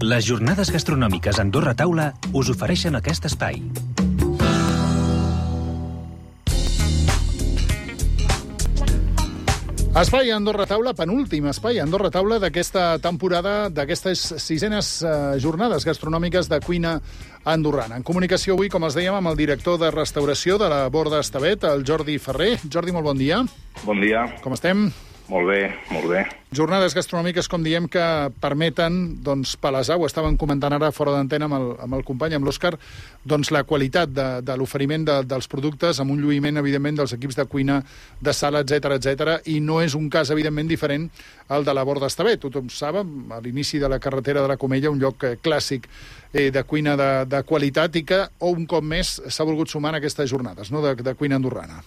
Les jornades gastronòmiques Andorra Taula us ofereixen aquest espai. Espai Andorra Taula, penúltim espai Andorra Taula d'aquesta temporada, d'aquestes sisenes jornades gastronòmiques de cuina andorrana. En comunicació avui, com els dèiem, amb el director de restauració de la Borda Estevet, el Jordi Ferrer. Jordi, molt bon dia. Bon dia. Com estem? Molt bé, molt bé. Jornades gastronòmiques, com diem, que permeten, doncs, palesar, ho estàvem comentant ara fora d'antena amb el company, amb l'Òscar, doncs la qualitat de l'oferiment dels productes, amb un lluïment, evidentment, dels equips de cuina, de sala, etc, i no és un cas, evidentment, diferent al de la Borda Estevet. Tothom sap, a l'inici de la carretera de la Comella, un lloc clàssic de cuina de qualitat i que, un cop més, s'ha volgut sumar en aquestes jornades, no?, de cuina andorrana.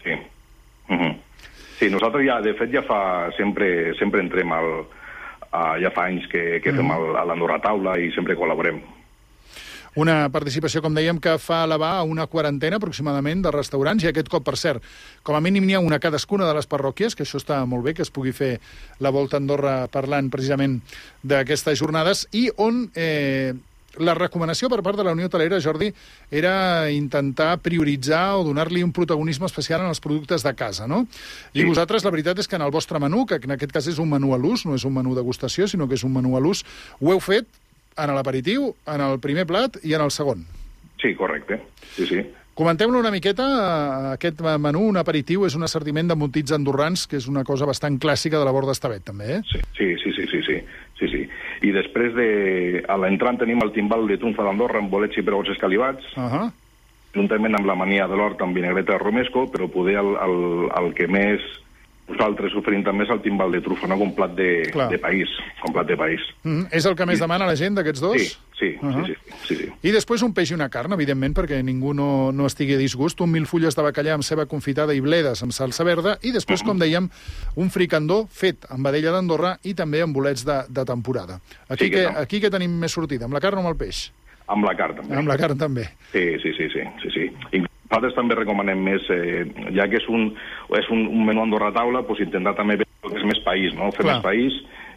Sí. Sí, nosaltres ja, de fet, sempre entrem ja fa anys que fem a l'Andorra Taula i sempre col·laborem. Una participació, com dèiem, que fa elevar a una quarantena aproximadament de restaurants, i aquest cop, per cert, com a mínim n'hi ha una a cadascuna de les parròquies, que això està molt bé, que es pugui fer la Volta a Andorra parlant precisament d'aquestes jornades, i on la recomanació per part de la Unió Hotelera, Jordi, era intentar prioritzar o donar-li un protagonisme especial en els productes de casa, no? I Sí. vosaltres, la veritat és que en el vostre menú, que en aquest cas és un menú a l'ús, no és un menú degustació, sinó que és un menú a l'ús, ho heu fet en l'aperitiu, en el primer plat i en el segon. Sí, correcte. Sí. Comenteu-lo una miqueta, aquest menú, un aperitiu, és un assortiment d'embotits andorrans, que és una cosa bastant clàssica de la Borda Estevet, també, eh? Sí. I després, a l'entrant, tenim el timbal de trumfa d'Andorra amb bolets i perols escalivats, juntament amb la mania de l'hort amb vinagreta de romesco, però poder el que més nosaltres oferim també és el timbal de trufa, no? Com plat de país. És el que més demana la gent d'aquests dos? Sí. I després un peix i una carn, evidentment, perquè ningú no estigui a disgust. Un 1000 fulles de bacallà amb ceba confitada i bledes amb salsa verda. I després, com dèiem, un fricandó fet amb vedella d'Andorra i també amb bolets de temporada. Aquí què tenim més sortida? Amb la carn o amb el peix? Amb la carn, també. Amb la carn, també. Sí. Nosaltres també recomanem més, ja que és un menú Andorra Taula, doncs intentar també veure el que és més país, no? Fer més país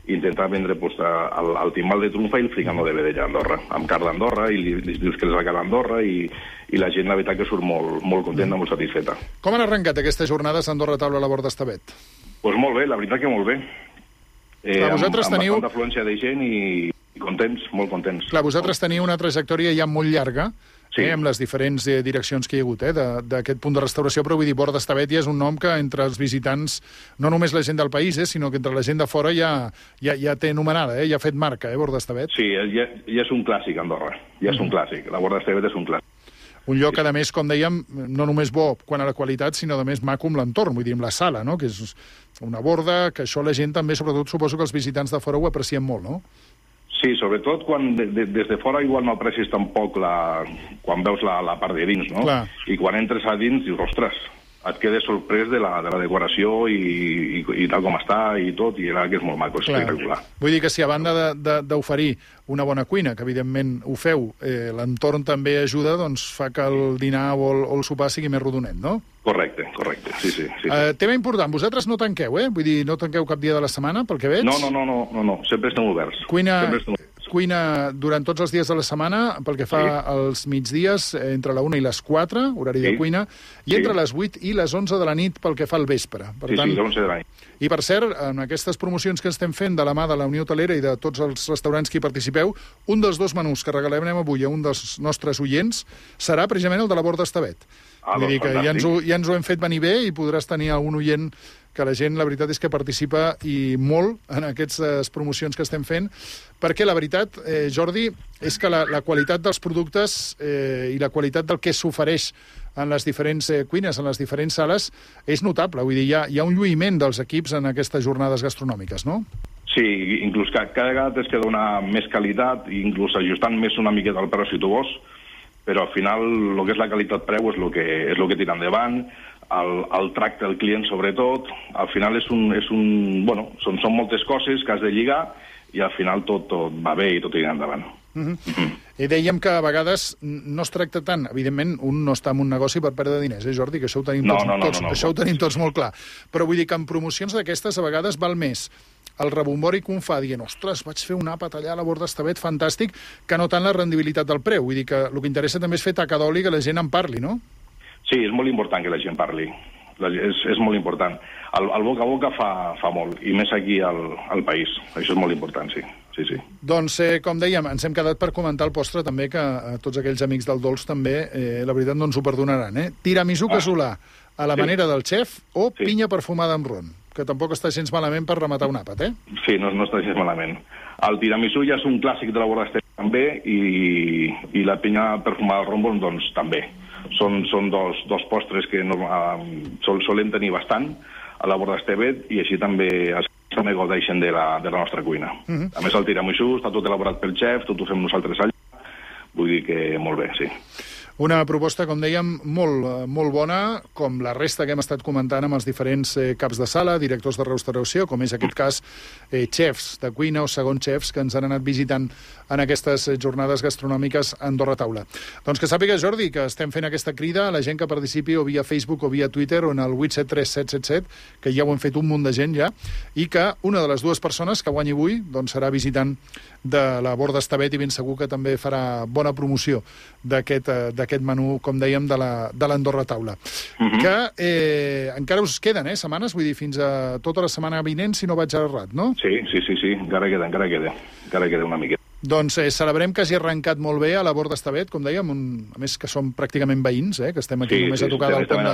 i intentar vendre el timbal de trumfa i el fricandó de vedella d'Andorra, amb carn d'Andorra, i li dius que és la carn d'Andorra, i la gent, la veritat, que surt molt contenta, molt satisfeta. Com han arrencat aquestes jornades Andorra Taula a la Borda Estevet? Doncs molt bé, la veritat que molt bé. Vosaltres teniu... Amb bastanta afluència de gent i contents, molt contents. Clar, vosaltres teniu una trajectòria ja molt llarga, Sí. amb les diferents direccions que hi ha hagut d'aquest punt de restauració, però vull dir, Borda Estevet ja és un nom que entre els visitants, no només la gent del país, sinó que entre la gent de fora ja té anomenada, ja ha fet marca, Borda Estevet. Sí, ja és un clàssic, Andorra. Ja és un clàssic. La Borda Estevet és un clàssic. Un lloc, a més, com dèiem, no només bo quant a la qualitat, sinó, a més, maco amb l'entorn, vull dir, amb la sala, no?, que és una borda, que això la gent també, sobretot, suposo que els visitants de fora ho aprecien molt, no? Sí, sobretot quan des de fora igual no aprecis tampoc quan veus la part de dins, no? Clar. I quan entres a dins dius, ostres, et quedes sorprès de la decoració i tal com està i tot, i era que és molt maco, és espectacular. Vull dir que si a banda d'oferir una bona cuina, que evidentment ho feu, l'entorn també ajuda, doncs fa que el dinar o el sopar sigui més rodonet, no? Correcte, sí. Tema important, vosaltres no tanqueu, Vull dir, no tanqueu cap dia de la setmana, pel que veig? No, sempre estem oberts. Cuina durant tots els dies de la setmana, pel que fa als migdies, entre la 1 i les 4, horari de cuina, i entre les 8 i les 11 de la nit pel que fa al vespre. Per tant, les 11 de la nit. I, per cert, en aquestes promocions que estem fent de la mà de la Unió Hotelera i de tots els restaurants que hi participeu, un dels dos menús que regalarem avui a un dels nostres oients serà precisament el de la Borda Estevet. Vull dir que ja ens ho hem fet venir bé i podràs tenir algun oient que la gent, la veritat és que participa i molt en aquestes promocions que estem fent, perquè la veritat, Jordi, és que la qualitat dels productes i la qualitat del que s'ofereix en les diferents cuines, en les diferents sales, és notable. Vull dir, hi ha un lluïment dels equips en aquestes jornades gastronòmiques, no? Sí, inclús cada vegada es que dona més qualitat, inclús ajustant més una miqueta el preu si tu vols, però al final el que és la qualitat-preu és el que tira endavant, el tracte del client sobretot, al final són moltes coses que has de lligar i al final tot va bé i tot tira endavant. I dèiem que a vegades no es tracta tant, evidentment, un no està en un negoci per perdre diners, Jordi, que això ho tenim tots molt clar. Però vull dir que en promocions d'aquestes a vegades val més el rebombori que un fa dient, ostres, vaig fer un àpat allà a la Borda Estavet, fantàstic, que no tant la rendibilitat del preu. Vull dir que el que interessa també és fer taca d'oli, que la gent en parli, no? Sí, és molt important que la gent parli. És molt important. El boca a boca fa molt, i més aquí al país. Això és molt important, sí. Sí. Doncs, com dèiem, ens hem quedat per comentar el postre també, que tots aquells amics del dolç també, la veritat, no ens ho perdonaran. Tiramisú casolà a la manera del xef o pinya perfumada amb ron, que tampoc està gens malament per rematar un àpat, Sí, no està gens malament. El tiramisú ja és un clàssic de la Borda Estavet també, i la pinya perfumada amb ron, doncs, també. Són dos postres que solem tenir bastant a la Borda Estavet, i així també gaudeixen de la nostra cuina. A més, el tiramisú està tot elaborat pel xef, tot ho fem nosaltres allà, vull dir que molt bé, sí. Una proposta, com dèiem, molt bona, com la resta que hem estat comentant amb els diferents caps de sala, directors de restauració, com és aquest cas xefs de cuina o segons xefs que ens han anat visitant en aquestes jornades gastronòmiques a Andorra Taula. Doncs que sàpiga, Jordi, que estem fent aquesta crida a la gent que participi o via Facebook o via Twitter o en el 873-777, que ja ho hem fet un munt de gent ja, i que una de les dues persones que guanyi avui doncs serà visitant de la Borda Estavet i ben segur que també farà bona promoció d'aquest menú, com dèiem, de l'Andorra Taula. Que encara us queden, setmanes, vull dir, fins a tota la setmana vinent, si no vaig errat, no? Sí, encara queda una miqueta. Doncs celebrem que hagi arrencat molt bé a la Borda Estavet, com dèiem, a més que som pràcticament veïns, que estem aquí només a tocar del pont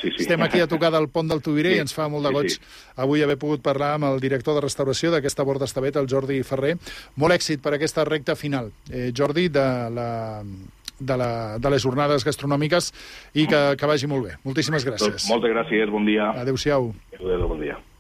estem aquí a tocar del pont del Tuvirer, i ens fa molt de goig avui haver pogut parlar amb el director de restauració d'aquesta Borda Estavet, el Jordi Ferrer. Molt èxit per aquesta recta final, Jordi, de les jornades gastronòmiques, i que vagi molt bé. Moltíssimes gràcies. Moltes gràcies, bon dia. Adéu-siau. Adéu, bon dia.